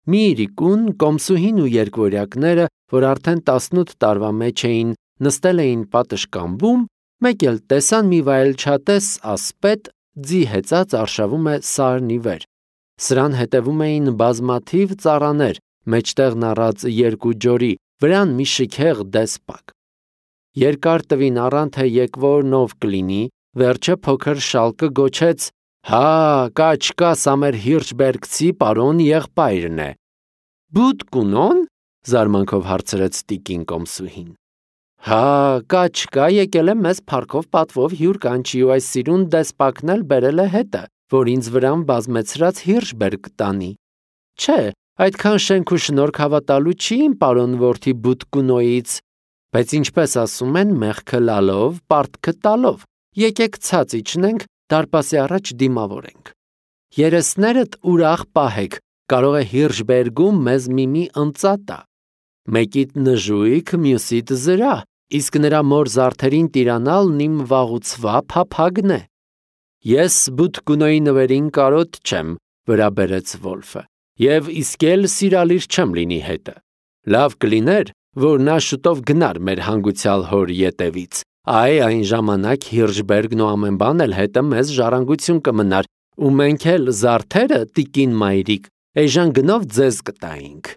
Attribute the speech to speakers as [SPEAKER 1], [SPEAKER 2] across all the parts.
[SPEAKER 1] Մի իրիկուն, կոմսուհին ու երկվորյակները, որ արդեն 18 տարվա մեջ էին, նստել էին պատշգամբում, մեկ էլ տեսան մի վայելչատես ասպետ ձի հեծած արշավում է սարն ի վեր։ Սրան հետևում էին բազմաթիվ ծառաներ, մեջտեղն առած երկու ջորի, վրան մի շքեղ դեսպակ։ Երկար տվին առան, թե եկվորն ով կլինի, վերջը փոքր շալկը գոչեց. «Հա, կա, սա մեր Հիրշբերգցի պարոն եղբայրն է»։ «Բուդ կունո՞ն» զարմանքով հարցրեց տիկին կոմսուհին։ «Հա, կա, եկել է մեզ փառքով պատվով հյուր կանչի ու այս սիրուն դեսպակն էլ բերել է հետը, որ ինձ վրան բազմեցրած Հիրշբերգ տանի։ Չէ, այդքան շենք ու շնորհք հավատալու չի իմ պարոն որդի Բուդկունոյից, բայց ինչպես ասում են, մեղքը լալով, պարտքը տալով, եկեք ցած իջնենք, դարպասի առաջ դիմավորենք։ Երեսներդ ուրախ պահեք, կարող է Հիրշբերգում մեզ մի ընծա տա։ Մեկիդ նժույգ, մյուսիդ զրա, իսկ նրա մոր զարդերին տիրանալն իմ վաղուցվա փափագն է։ Ես Բուդկունոյի նվերին կարոտ չեմ, վրա բերեց Վոլֆը, եւ իսկ էլ սիրալիր չեմ լինի հետը։ Լավ կլիներ, որ նա շուտով գնար մեր հանգուցյալ հոր ետևից, այն ժամանակ Հիրշբերգն ու ամեն բան էլ հետը մեզ ժառանգություն կմնար, ու մենք էլ զարդերը, տիկին մայրիկ, էժան գնով ձեզ կտայինք։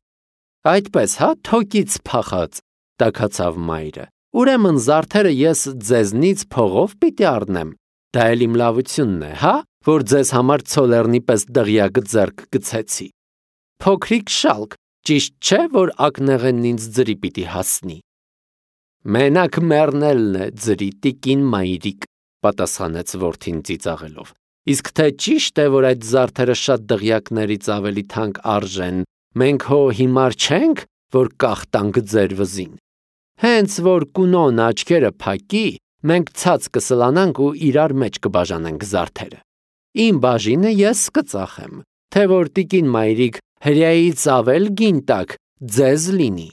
[SPEAKER 1] Այդպես, հա, թոկից փախած, տաքացավ մայրը։ Ուրեմն զարդերը ես ձեզնից փողով պիտի առնեմ։ Դա էլ իմ լավությունն է, հա, որ ձեզ համար ցոլեռնի պես դղյակ ձեռք գցեցի։ Փոքրիկ շալկ, ճիշտ չէ, որ ակնեղենն ինձ ձրի պիտի հասնի։ Մենակ մեռնելն է ձրի, տիկին մայրիկ, պատասխանեց որդին ծիծաղելով։ Իսկ թե ճիշտ է, որ այդ զարդերը շատ դղյակներից ավելի թանկ արժեն, մենք հո հիմար չենք, որ կախտանք ձեր վզին։ Հենց որ կունոն աչքերը փակի, մենք ցած կսլանանք ու իրար մեջ կբաժանենք զարդերը։ Իմ բաժինը ես կծախեմ, թե որ տիկին մայրիկ հրեայից ավել գին տակ ձեզ լինի։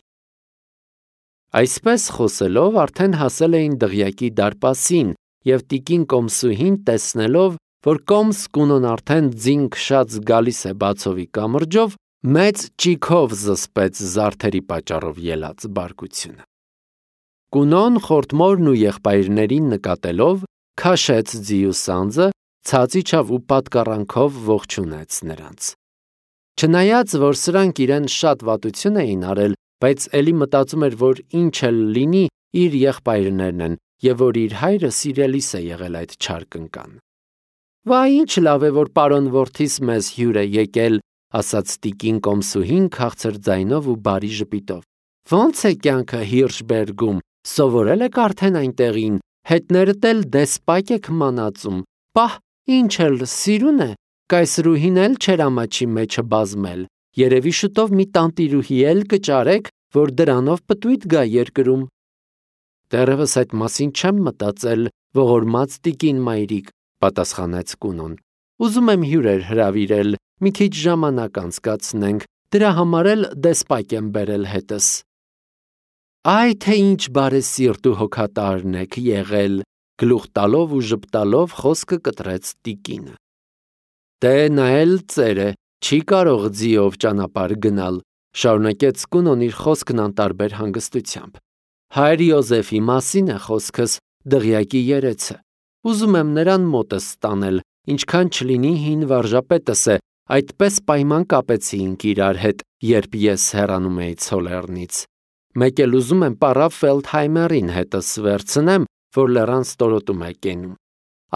[SPEAKER 1] Այսպես խոսելով արդեն հասել էին դղյակի դարպասին, եւ տիկին կոմսուհին տեսնելով, որ կոմս կունոն արդեն ձին քշած գալիս է բացովի կամրջով, մեծ ճիգով զսպեց զարդերի պատճառով ելած բարկությունը։ Կունոն խորտմորն ու եղբայրներին նկատելով քաշեց ձիու սանձը, ցած իջավ ու պատկառանքով ողջունեց նրանց։ Չնայած որ սրանք իրեն շատ վատություն էին արել, բայց էլի մտածում էր, որ ինչ էլ լինի, իր եղբայրներն են, եւ որ իր հայրը սիրելիս է եղել այդ չար կնկան։ Վայ, ինչ լավ է, որ պարոն որդիս մեզ հյուր է եկել, ասաց տիկին կոմսուհին քաղցր ձայնով ու բարի ժպիտով։ Ոնց է կյանքը Հիրշբերգում, սովորել եք արդեն այնտեղին, հետներդ էլ դեսպակ եք մանածում, պահ, ինչ էլ սիրուն է, կայսրուհին էլ չեր ամաչի մեջը բազմել, երևի շուտով մի տանտիրուհի էլ կճարեք, որ դրանով պտույտ գա երկրում։ Դեռևս այդ մասին չեմ մտածել, ողորմած տիկին մայրիկ, պատասխանեց կունոն։ Ուզում եմ հյուրեր հրավիրել, մի քիչ ժամանակ անցկացնենք, դրա համար էլ դեսպակ եմ բերել հետս։ Այ թե ինչ բարեսիրտ ու հոգատարն եք եղել, գլուխ տալով ու ժպտալով խոսքը կտրեց տիկինը։ Դե նա էլ ծեր է, չի կարող ձիով ճանապարհ գնալ, շարունակեց կունոն իր խոսքն անտարբեր հանգստությամբ։ Հայր Յոզեֆի մասին է խոսքս, դղյակի երեցը։ Ուզում եմ նրան մոտս ստանել, ինչքան չլինի հին վարժապետս է, այդպես պայման կապեցինք իրար հետ, երբ ես հեռանում էի Ցոլեռնից։ Մեկ էլ ուզում եմ պարավ Ֆելդհայմերին հետս վերցնեմ, որ լեռան ստորոտում է կենում։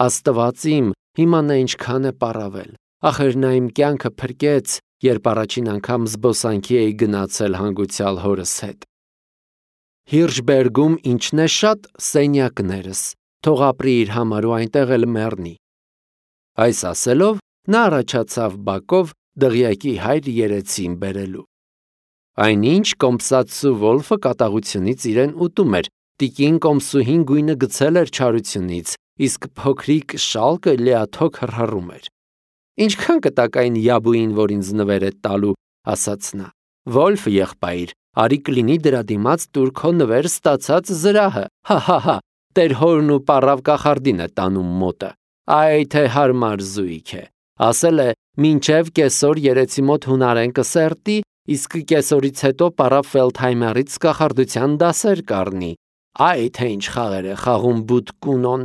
[SPEAKER 1] Աստված իմ, հիմա նա ինչքան է պարավել։ Ախր նա իմ կյանքը փրկեց, երբ առաջին անգամ զբոսանքի էի գնացել հանգուցյալ հորս հետ։ Հիրշբերգում ինչն է շատ սենյակներս, թող ապրի իր համար ու այնտեղ էլ մեռնի։ Այս ասելով նա առաջացավ բակով դղյակի հայր երեցին բերելու։ Այնինչ կոմսացու Վոլֆը կատաղությունից իրեն ուտում էր, տիկին կոմսուհին գույնը գցել էր չարությունից, իսկ փոքրիկ շալկը լիաթոք հռհռում էր։ Ինչքան կտակ այն յաբուին, որ ինձ նվեր է տալու, ասաց նա։ Վոլֆ եղբայր, արի կլինի դրա դիմաց տուր քո նվեր ստացած զրահը, հա, տեր հորն ու պառավ կախարդին է տանում մոտը, այ թե հարմար զույգ է, ասել է մինչև կեսօր երեցի մոտ հունարեն կսերտի, իսկ կեսօրից հետո պարավ Ֆելդհայմերից կախարդության դասեր կառնի։ Այ թե ինչ խաղեր է խաղում բութ կունոն։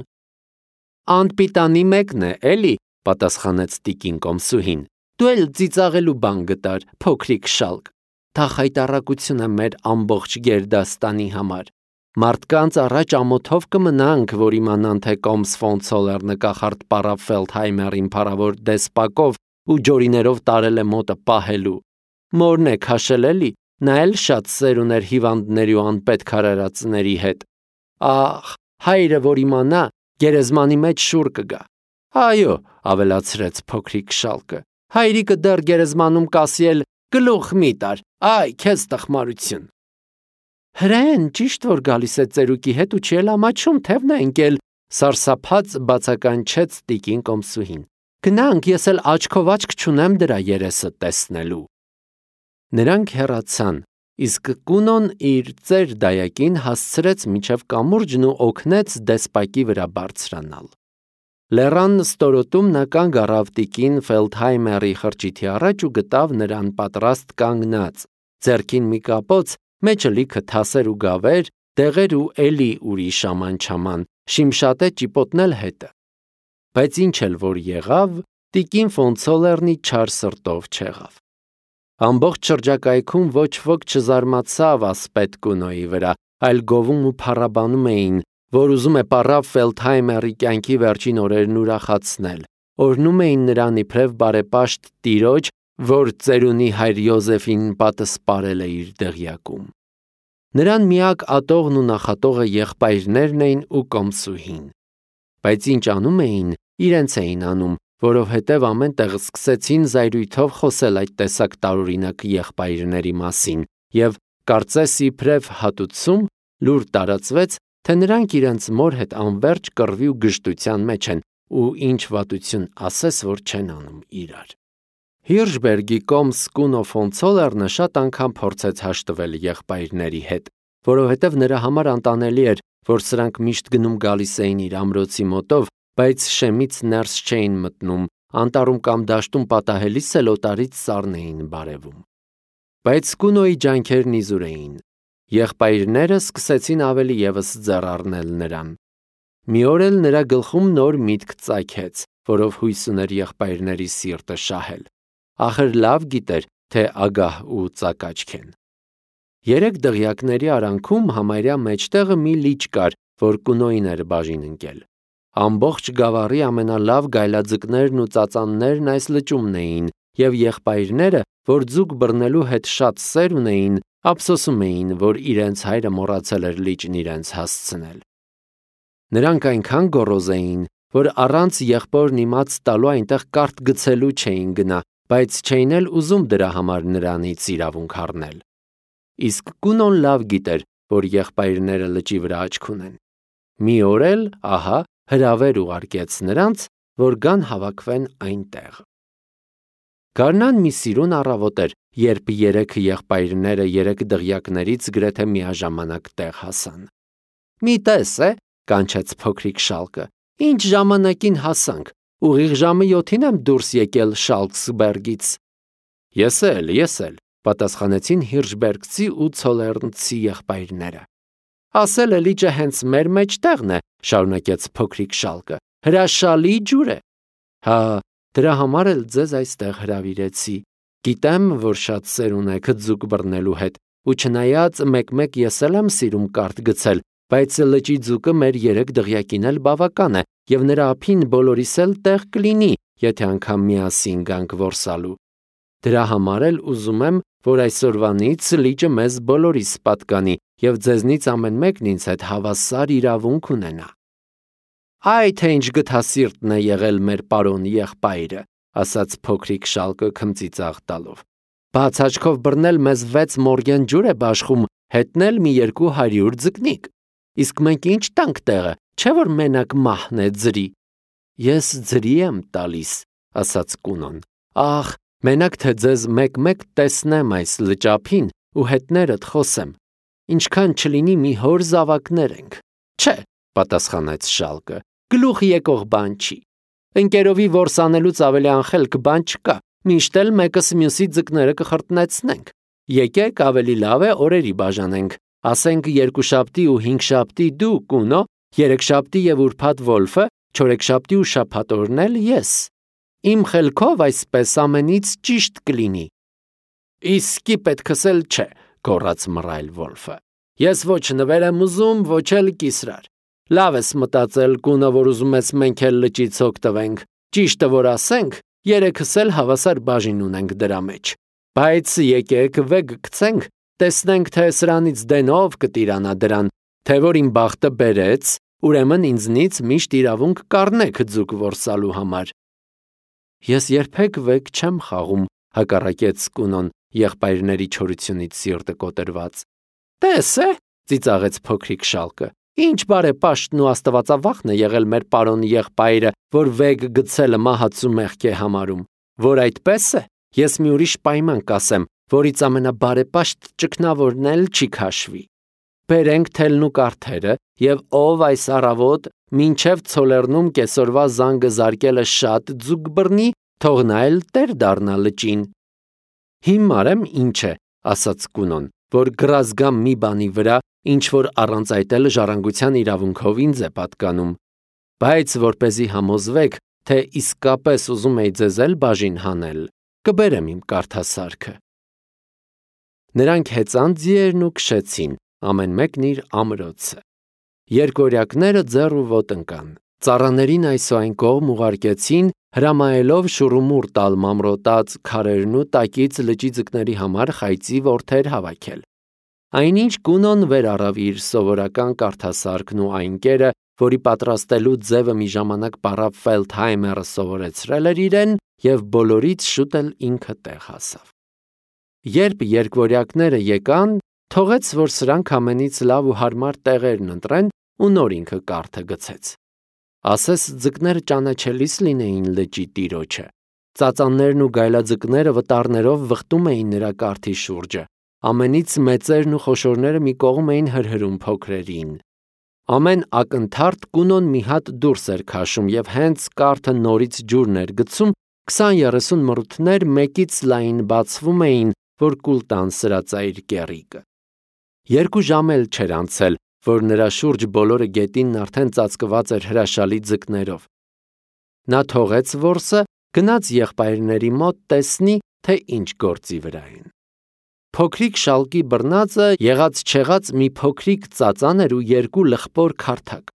[SPEAKER 1] Անպիտանի մեկն է, էլի, պատասխանեց տիկին կոմսուհին։ Դու էլ ծիծաղելու բան գտար, փոքրիկ շալկ։ Դա խայտառակություն է մեր ամբողջ գերդաստանի համար։ Մարդկանց առաջ ամոթով կմնանք, որ իմանան, թե Կոմս ֆոն Ցոլերնը կախարդ պարավ Ֆելդհայմերին փառավոր դեսպակով ու ջորիներով տարել է մոտը պահելու։ Մորն է քաշել էլի, նա էլ շատ սեր ուներ հիվանդների ու անպետք արարածների հետ։ Ահ, հայրը որ իմանա, գերեզմանի մեջ շուռ կգա։ Այո, ավելացրեց փոքրիկ շալկը, հայրիկը դեռ գերեզմանում կասի էլ գլուխ մի տար, այ քեզ տխմարություն։ Հրեն, ճիշտ որ գալիս է ծերուկի հետ ու չի էլ ամաչում, թևն է ընկել, սարսափած բացականչեց տիկին կոմսուհին։ Գնանք, ես էլ աչքով աչք չունեմ դրա երեսը տեսնելու։ Նրանք հեռացան, իսկ Կունոն իր ծեր դայակին հասցրեց մինչև կամուրջն ու օգնեց դեսպակի վրա բարձրանալ։ Լեռան ստորոտում նա կանգ առավ տիկին Ֆելդհայմերի խրճիթի առաջ ու գտավ նրան պատրաստ կանգնած, ձեռքին մի կապոց, մեջը լիքը թասեր ու գավեր, դեղեր ու էլի ուրիշ աման-չաման, շիմշատե ճիպոտնել հետը։ Բայց ինչ էլ որ եղավ, տիկին ֆոն Ցոլերնի չար սրտով չեղավ։ Ամբողջ շրջակայքում ոչ ոք չզարմացավ ասպետ Կունոյի վրա, այլ գովում ու փառաբանում էին, որ ուզում է պարավ Ֆելդհայմերի կյանքի վերջին օրերն ուրախացնել, օրհնում էին նրան իբրև բարեպաշտ տիրոջ, որ ծերունի հայր Յոզեֆին պատսպարել է իր դղյակում։ Նրան միակ ատողն ու նախատողը եղբայրներն էին ու կոմսուհին։ Բայց ինչ անում էին, իրենց էին անում, որովհետև ամեն տեղ սկսեցին զայրույթով խոսել այդ տեսակ տարօրինակ եղբայրների մասին, և կարծես իբրև հատուցում լուր տարածվեց, թե նրանք իրենց մոր հետ անվերջ կռվի ու գժտության մեջ են ու ինչ վատություն ասես, որ չեն անում իրար։ Հիրշբերգի կոմս Կունո ֆոն Ցոլերնը շատ անգամ փորձեց հաշտվել եղբայրների հետ, որովհետև նրա համար անտանելի էր, որ սրանք միշտ գնում գալիս էին իր ամրոցի մոտով, բայց շեմից ներս չէին մտնում, անտառում կամ դաշտում պատահելիս էլ օտարից սառն էին բարևում։ Բայց Կունոյի ջանքերն իզուր էին։ Եղբայրները սկսեցին ավելի ևս ձեռ առնել նրան։ Մի օր էլ նրա գլխում նոր միտք ծագեց, որով հույս ուներ եղբայրների սիրտը շահել։ Ախր լավ գիտեր, թե ագահ ու ծակաճք են։ 3 դղյակների արանքում համարյա մեջտեղը մի լիճ կար, որ Կունոյին էր բաժին ընկել։ Ամբողջ գավառի ամենալավ գայլաձկներն ու ծածաններն այս լճումն էին, և եղբայրները, որ ձուկ բռնելու հետ շատ սեր ունեին, ափսոսում էին, որ իրենց հայրը մոռացել էր լիճն իրենց հասցնել։ Նրանք այնքան գոռոզ էին, որ առանց եղբորն իմաց տալու այնտեղ կարթ գցելու չէին գնա, բայց չէին էլ ուզում դրա համար նրանից իրավունք առնել։ Իսկ Կունոն լավ գիտեր, որ եղբայրները լճի վրա աչք ունեն։ Մի օր էլ, ահա, հրավեր ուղարկեց նրանց, որ գան հավաքվեն այնտեղ։ Գարնան մի սիրուն առավոտ էր, երբ 3 եղբայրները 3 դղյակներից գրեթե միաժամանակ տեղ հասան։ Մի տես է, կանչեց փոքրիկ շալկը, ինչ ժամանակին հասանք, ուղիղ ժամը 7-ին եմ դուրս եկել Շալքսբերգից։ Ես էլ, պատասխանեցին Հիրշբերգցի ու Ցոլերնցի եղբայրները։ Ասել է լիճը հենց մեր մեջտեղն է, շարունակեց փոքրիկ շալկը, հրաշալի ջուր է։ Հա, դրա համար էլ ձեզ այստեղ հրավիրեցի։ Գիտեմ, որ շատ սեր ունեք ձուկ բռնելու հետ, ու չնայած մեկ-մեկ ես էլ եմ սիրում կարթ գցել, բայց լճի ձուկը մեր 3 դղյակին էլ բավական է, և նրա ափին բոլորիս էլ տեղ կլինի, եթե անգամ միասին գանք որսալու։ Դրա համար էլ ուզում եմ, որ այսօրվանից լիճը մեզ բոլորիս պատկանի, և ձեզնից ամեն մեկն ինձ հետ հավասար իրավունք ունենա։ Այ թե ինչ գթասիրտն է եղել մեր պարոն եղբայրը, ասաց փոքրիկ շալկը քմծիծաղ տալով։ Բաց աչքով բռնել մեզ 6 մորգեն ջուր է բաշխում, հետնել մի 200 ձկնիկ։ Իսկ մենք ինչ տանք տեղը, չէ որ մենակ մահն է ձրի։ Ես ձրի եմ տալիս, ասաց Կունոն։ Ախ, մենակ թե ձեզ մեկ-մեկ տեսնեմ այս լճափին ու հետներդ խոսեմ։ Ինչքան չլինի մի հոր զավակներ ենք։ Չէ, պատասխանեց շալկը, գլուխ եկող բան չի։ Ընկերովի որսանելուց ավելի անխելք բան չկա, միշտ էլ մեկս մյուսի ձկները կխրտնեցնենք։ Եկեք ավելի լավ է օրերի բաժանենք, ասենք երկուշաբթի ու հինգշաբթի դու, Կունո, երեքշաբթի եւ ուրբաթ Վոլֆը, չորեքշաբթի ու շաբաթ օրն էլ ես։ Իմ խելքով այսպես ամենից ճիշտ կլինի։ Իսկի պետքս էլ չէ, գոռաց մռայլ Վոլֆը։ Ես ոչ նվեր եմ ուզում, ոչ էլ կիսրար։ Լավ ես մտածել, Կունո, որ ուզում ես մենք էլ լճից հոգ տվենք։ Ճիշտը որ ասենք, երեքս էլ հավասար բաժին ունենք դրա մեջ։ Բայց եկեք վեգ գցենք, տեսնենք թե սրանից դենով կտիրանա դրան, թե որ իմ բախտը բերեց, ուրեմն ինձնից միշտ իրավունք կառնեք ձուկ որսալու համար։ Ես երբեք վեգ չեմ խաղում, հակառակեց Կունոն, եղբայրների չորությունից սիրտը կոտրված։ Տես է, ծիծաղեց փոքրիկ շալկը։ Ինչ բարեպաշտն ու աստվածավախն է եղել մեր պարոն եղբայրը, որ վեգ գցելը մահացու մեղք է համարում։ Որ այդպես է, ես մի ուրիշ պայման կասեմ, որից ամենաբարեպաշտ ճգնավորն էլ չի քաշվի։ Բերենք թելն ու կարթերը, եւ ով այս առավոտ մինչև ցոլերնում կեսօրվա զանգը զարկելը շատ ձուկ բռնի, թող նա էլ տեր դառնա լճին։ Հիմար եմ ինչ է, ասաց Կունոն, որ գրազգամ մի բանի վրա, ինչ որ առանց այդ էլ ժառանգության իրավունքով ինձ է պատկանում, բայց որպեսզի համոզվեք, թե իսկապես ուզում էի ձեզ էլ բաժին հանել, կբերեմ իմ կարթասարքը։ Նրանք հեծան ձիերն ու քշեցին, ամեն մեկն իր ամրոցը։ Երկորյակները ձեռ ու ոտ ընկան, ծառաներին այսուայն կողմ ուղարկեցին, հրամայելով շուռումուռ տալ մամրոտած քարերն ու տակից լճի ձկների համար խայծի որդեր հավաքել։ Այնինչ Կունոն վեր առավ իր սովորական կարթասարքն ու այն կերը, որի պատրաստելու ձևը մի ժամանակ պարապ Ֆելդհայմերը սովորեցրել էր իրեն, եւ բոլորից շուտ էլ ինքը տեղ հասավ։ Երբ երկվորյակները եկան, թողեց, որ սրանք ամենից լավ ու հարմար տեղերն ընտրեն ու նոր ինքը կարթը գցեց։ Ասես ձկները ճանաչելիս լինեին լճի տիրոջը։ Ծածաններն ու գայլաձկները վտարներով վխտում էին նրա կարթի շուրջը։ Ամենից մեծերն ու խոշորները մի կողմ էին հրհրում փոքրերին։ Ամեն ակնթարթ Կունոն մի հատ դուրս էր քաշում եւ հենց կարթը նորից ջուրն էր գցում, 20-30 մռութներ մեկից լայն բացվում էին, որ կուլ տան սրածայր կեռիկը։ 2 ժամ էլ չէր անցել, որ նրա շուրջ բոլորը գետինն արդեն ծածկված էր հրաշալի ձկներով։ Նա թողեց որսը, գնաց եղբայրների մոտ տեսնի, թե ինչ գործի վրա են։ Փոքրիկ շալկի բռնածը եղած չեղած մի փոքրիկ ծածան էր ու 2 լխպոր քարթակ։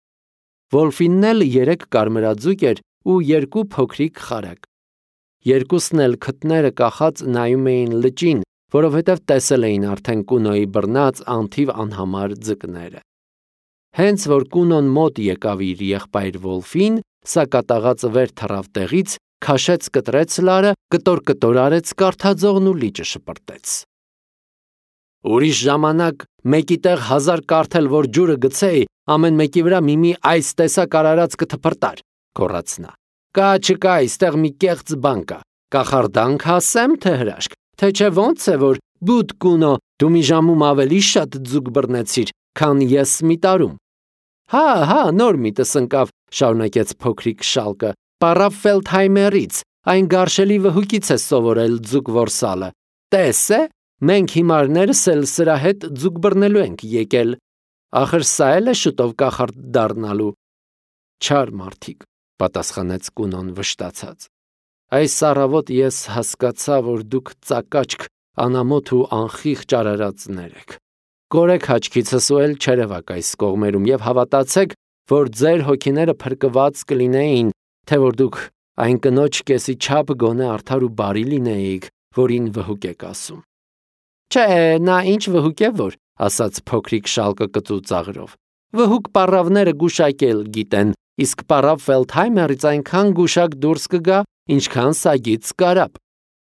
[SPEAKER 1] Վոլֆինն էլ 3 կարմրաձուկ էր ու 2 փոքրիկ խարակ։ Երկուսն էլ քթները կախած նայում էին լճին, որովհետև տեսել էին արդեն Կունոյի բռնած անթիվ անհամար ձկները։ Հենց որ Կունոն մոտ եկավ իր եղբայր Վոլֆին, սա կատաղածը վեր թռավ տեղից, քաշեց կտրեց լարը, կտոր արեց կարթաձողն ու լիճը շպրտեց։ Ուրիշ ժամանակ մեկի տեղ 1000 կարթել որ ջուրը գցեի, ամեն մեկի վրա մի այս տեսակ արարած կթփրտար, գոռաց նա։ Կա չկա, այստեղ մի կեղծ բան կա։ Կախարդանք ասեմ, թե հրաշք, թե չէ ոնց է որ բուդ Կունո, դու մի ժամում ավելի շատ ձուկ բռնեցիր, քան ես մի տարում։ Հա, նոր միտս ընկավ, շարունակեց փոքրիկ շալկը, պարապ Ֆելդհայմերից, այն գարշելի վհուկից է սովորել ձուկ որսալը։ Տես է, մենք հիմարներս էլ սրա հետ ձուկ բռնելու ենք եկել։ Ախր սա էլ է շուտով կախարդ դառնալու։ Չար մարդիկ, պատասխանեց Կունոն վշտացած։ Այս առավոտ ես հասկացա, որ դուք ծակաճք, անամոթ ու անխիղճ արարածներ եք։ Կորեք հաճքիցս ու էլ չերևակ այս կողմերում եւ հավատացեք, որ ձեր հոգիները փրկված կլինեին, թե որ դուք այն կնոջ կեսի չափ գոնե արդար ու բարի լինեիք, որին վհուկ եք ասում։ Չէ, նա ինչ վհուկ է որ, ասաց փոքրիկ շալկը կծու ծաղրով։ Վհուկ պարավները գուշակել գիտեն, իսկ պարավ Ֆելդհայմերից այնքան գուշակ դուրս կգա, ինչքան սագից կարապ։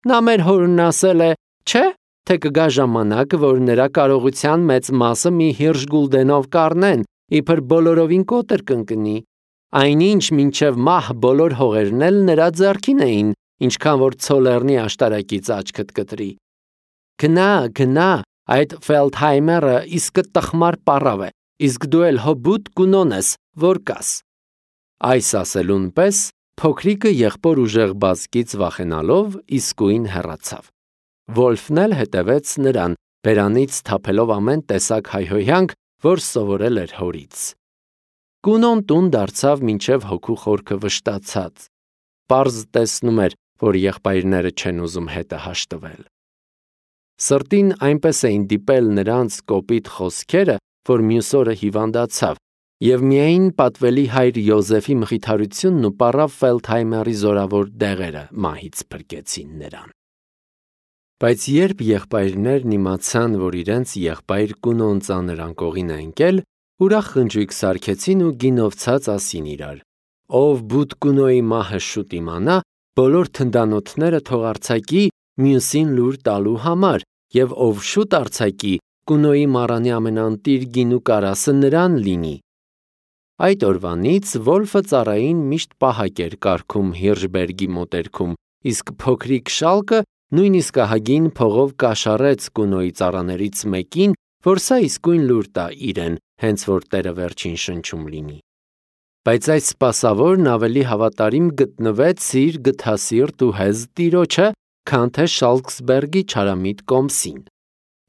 [SPEAKER 1] Նա մեր հորն ասել է, չէ, թե կգա ժամանակ, որ նրա կարողության մեծ մասը մի հիրժ գուլդենով կառնեն, իբր բոլորովին կոտր կընկնի։ Այնինչ մինչև մահ բոլոր հողերն էլ նրա ձեռքին էին, ինչքան որ ցոլերնի աշտարակից աչքդ կտրի։ Գնա, այդ Ֆելդհայմերը իսկ տխմար պարավ է, իսկ դու էլ հոբուտ Կունոն ես, որ կաս։ Այս ասելուն պես փոքրիկը եղբոր ուժեղ բազկից վախենալով իսկույն հեռացավ։ Վոլֆն էլ հետևեց նրան, բերանից թափելով ամեն տեսակ հայհոյանք, որ սովորել էր հորից։ Կունոն տուն դարձավ մինչև հոգու խորքը վշտացած։ Պարզ տեսնում էր, որ եղբայրները չեն ուզում հետը հաշտվել։ Սրտին այնպես էին դիպել նրանց կոպիտ խոսքերը, որ մյուս օրը հիվանդացավ, և միայն պատվելի հայր Յոզեֆի մխիթարությունն ու պառավ Ֆելդհայմերի զորավոր դեղերը մահից փրկեցին նրան։ Բայց երբ եղբայրներն իմացան, որ իրենց եղբայր Կունոն ծանր անկողին է ընկել, ուրախ խնջույք սարքեցին ու գինովցած ասին իրար. «Ով բութ Կունոյի մահը շուտ իմանա, բոլոր թնդանոթները թող արձակի մյուսին լուր տալու համար, և ով շուտ արձակի, Կունոյի մառանի ամենաընտիր գինու կարասը նրան լինի»։ Այդ օրվանից Վոլֆը ծառային միշտ պահակ էր կարգում Հիրշբերգի մոտերքում, իսկ փոքրիկ Շալկը նույնիսկ ահագին փողով կաշառեց Կունոյի ծառաներից մեկին, որ սա իսկույն լուր տա իրեն, հենց որ տերը վերջին շնչում լինի։ Բայց այս սպասավորն ավելի հավատարիմ գտնվեց իր գթասիրտ ու հեզ տիրոջը, քան թե Շալկսբերգի չարամիտ կոմսին։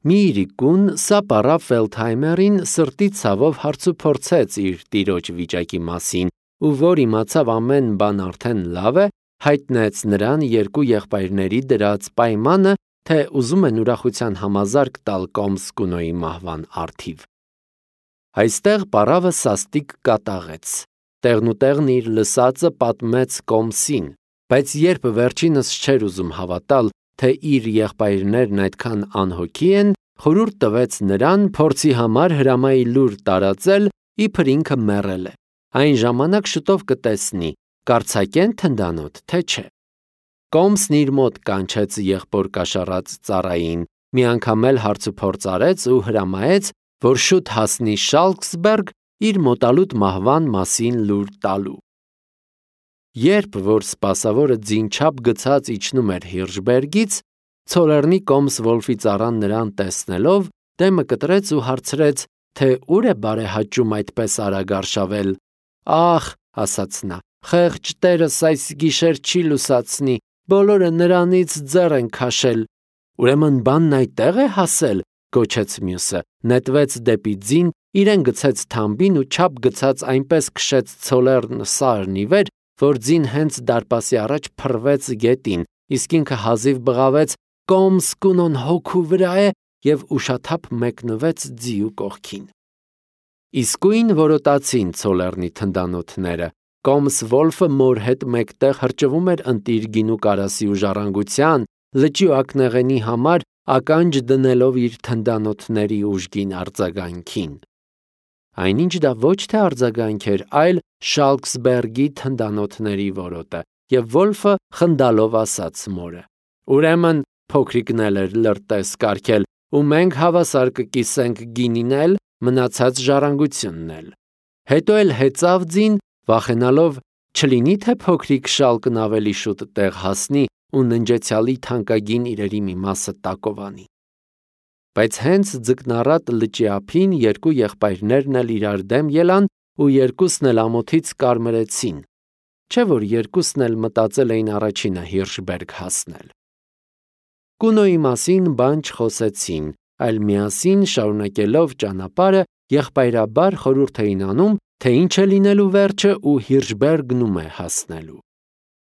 [SPEAKER 1] Մի իրիկուն սա պառավ Ֆելդհայմերին սրտի ցավով հարցուփորձեց իր տիրոջ վիճակի մասին, ու որ իմացավ ամեն բան արդեն լավ է, հայտնեց նրան երկու եղբայրների դրած պայմանը, թե ուզում են ուրախության համազարկ տալ կոմս Կունոյի մահվան առթիվ։ Այստեղ պառավը սաստիկ կատաղեց, տեղնուտեղն իր լսածը պատմեց կոմսին, բայց երբ վերջինս չէր ուզում հավատալ, թե իր եղբայրներն այդքան անհոգի են, խորհուրդ տվեց նրան փորձի համար հրամայի լուր տարածել, իբր ինքը մեռել է։ Այն ժամանակ շուտով կտեսնի, կարձակեն թնդանոթ, թե չէ։ Կոմսն իր մոտ կանչեց եղբոր կաշառած ծառային, մի անգամ էլ հարցուփորձ արեց ու հրամայեց, որ շուտ հասնի Շալկսբերգ իր մոտալուտ մահվան մասին լուր տալու։ Երբ որ սպասավորը ձինչափ գցած իջնում էր Հիրշբերգից, Ցոլեռնի կոմս Վոլֆի ծառան նրան տեսնելով, դեմը կտրեց ու հարցրեց, թե ուր է բարեհաճում այդպես արագ արշավել։ «Ախ», ասաց նա, «խեղճ տերս այս գիշեր չի լուսացնի, բոլորը նրանից ձեռ են քաշել»։ «Ուրեմն բանն այդտեղ է հասել», գոչեց մյուսը, նետվեց դեպի ձին, իրեն գցեց թամբին ու չափ գցած այնպես քշեց Ցոլեռն սարն ի վեր, որ ձին հենց դարպասի առաջ փռվեց գետին, իսկ ինքը հազիվ բղավեց. «Կոմս Կունոն հոգու վրա է» և ուշաթափ մեկնվեց ձիու կողքին։ Իսկույն որոտացին Ցոլեռնի թնդանոթները։ Կոմս Վոլֆը մոր հետ մեկտեղ հրճվում էր ընտիր գինու կարասի ու ժառանգության, լճի ու ակնեղենի համար ականջ դնելով իր թնդանոթների ուժգին արձագանքին։ Այնինչ դա ոչ թե արձագանք էր, այլ Շալկսբերգի թնդանոթների որոտը, և Վոլֆը խնդալով ասաց մորը. «Ուրեմն փոքրիկն էլ էր լրտես կարգել, ու մենք հավասար կկիսենք գինին էլ, մնացած ժառանգությունն էլ»։ Հետո էլ հեծավ ձին, վախենալով չլինի թե փոքրիկ Շալկն ավելի շուտ տեղ հասնի ու ննջեցյալի թանկագին իրերի մի մասը տակովանի։ Բայց հենց ձկնառատ լճի ափին երկու եղբայրներն էլ իրար դեմ ելան ու երկուսն էլ ամոթից կարմրեցին, չէ՞ որ երկուսն էլ մտածել էին առաջինը Հիրշբերգ հասնել։ Կունոյի մասին բան չխոսեցին, այլ միասին շարունակելով ճանապարհը եղբայրաբար խորհուրդ էին անում, թե ինչ է լինելու վերջը ու Հիրշբերգն ում է հասնելու։